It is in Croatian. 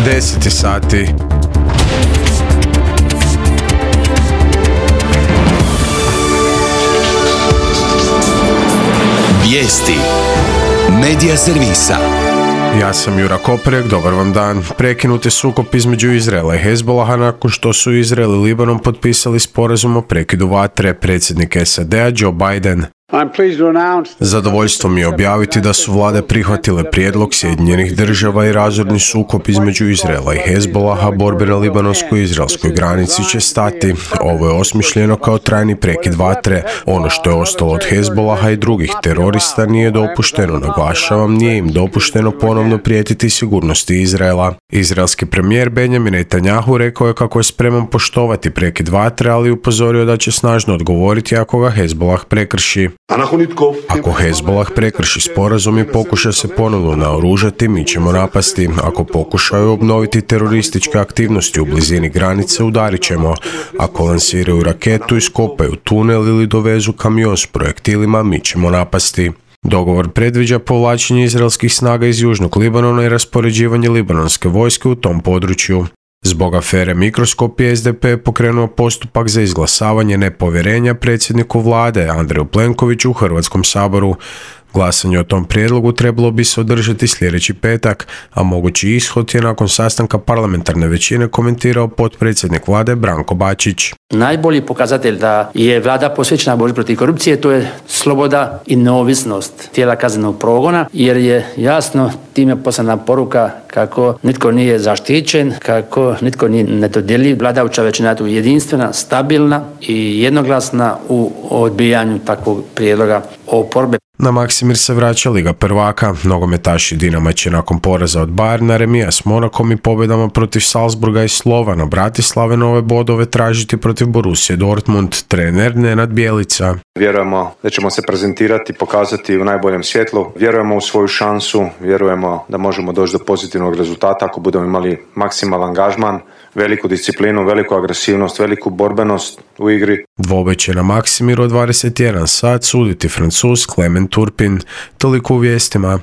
10 sati. Vijesti Medija servisa. Ja sam Jura Koprek, dobar vam dan. Prekinut je sukob između Izraela i Hezbolaha nakon što su Izrael i Libanon potpisali sporazum o prekidu vatre. Predsjednik SAD-a Joe Biden. Zadovoljstvo mi je objaviti da su vlade prihvatile prijedlog Sjedinjenih država i razorni sukob između Izraela i Hezbolaha, borbe na libanonsko-izraelskoj granici će stati. Ovo je osmišljeno kao trajni prekid vatre. Ono što je ostalo od Hezbolaha i drugih terorista nije dopušteno, naglašavam, nije im dopušteno ponovno prijetiti sigurnosti Izraela. Izraelski premijer Benjamin Netanjahu rekao je kako je spreman poštovati prekid vatre, ali upozorio da će snažno odgovoriti ako ga Hezbolah prekrši. Ako Hezbolah prekrši sporazum i pokuša se ponovno naoružati, mi ćemo napasti. Ako pokušaju obnoviti terorističke aktivnosti u blizini granice, udarit ćemo. Ako lansiraju raketu, iskopaju tunel ili dovezu kamion s projektilima, mi ćemo napasti. Dogovor predviđa povlačenje izraelskih snaga iz južnog Libanona i raspoređivanje libanonske vojske u tom području. Zbog afere Mikroskop je SDP pokrenuo postupak za izglasavanje nepovjerenja predsjedniku vlade Andreju Plenkoviću u Hrvatskom saboru. Glasanje o tom prijedlogu trebalo bi se održati sljedeći petak, a mogući ishod je nakon sastanka parlamentarne većine komentirao potpredsjednik vlade Branko Bačić. Najbolji pokazatelj da je vlada posvećena borbi protiv korupcije, to je sloboda i neovisnost tijela kaznenog progona, jer je jasno time poslana poruka kako nitko nije zaštićen, kako nitko nije nedodjeljiv. Vladajuća većina je tu jedinstvena, stabilna i jednoglasna u odbijanju takvog prijedloga oporbe. Na Maksimir se vraća Liga prvaka. Nogometaši Dinama će nakon poraza od Bayerna, remija s Monakom i pobjedama protiv Salzburga i Slovana Bratislave nove bodove tražiti protiv Borussije Dortmund. Trener Nenad Bjelica. Vjerujemo da ćemo se prezentirati, pokazati u najboljem svjetlu. Vjerujemo u svoju šansu, vjerujemo da možemo doći do pozitivnog rezultata ako budemo imali maksimalan angažman, veliku disciplinu, veliku agresivnost, veliku borbenost u igri. Dvoboj će na Maksimiru od 21 sat suditi Francuz Clement Turpin. Toliko u vijestima.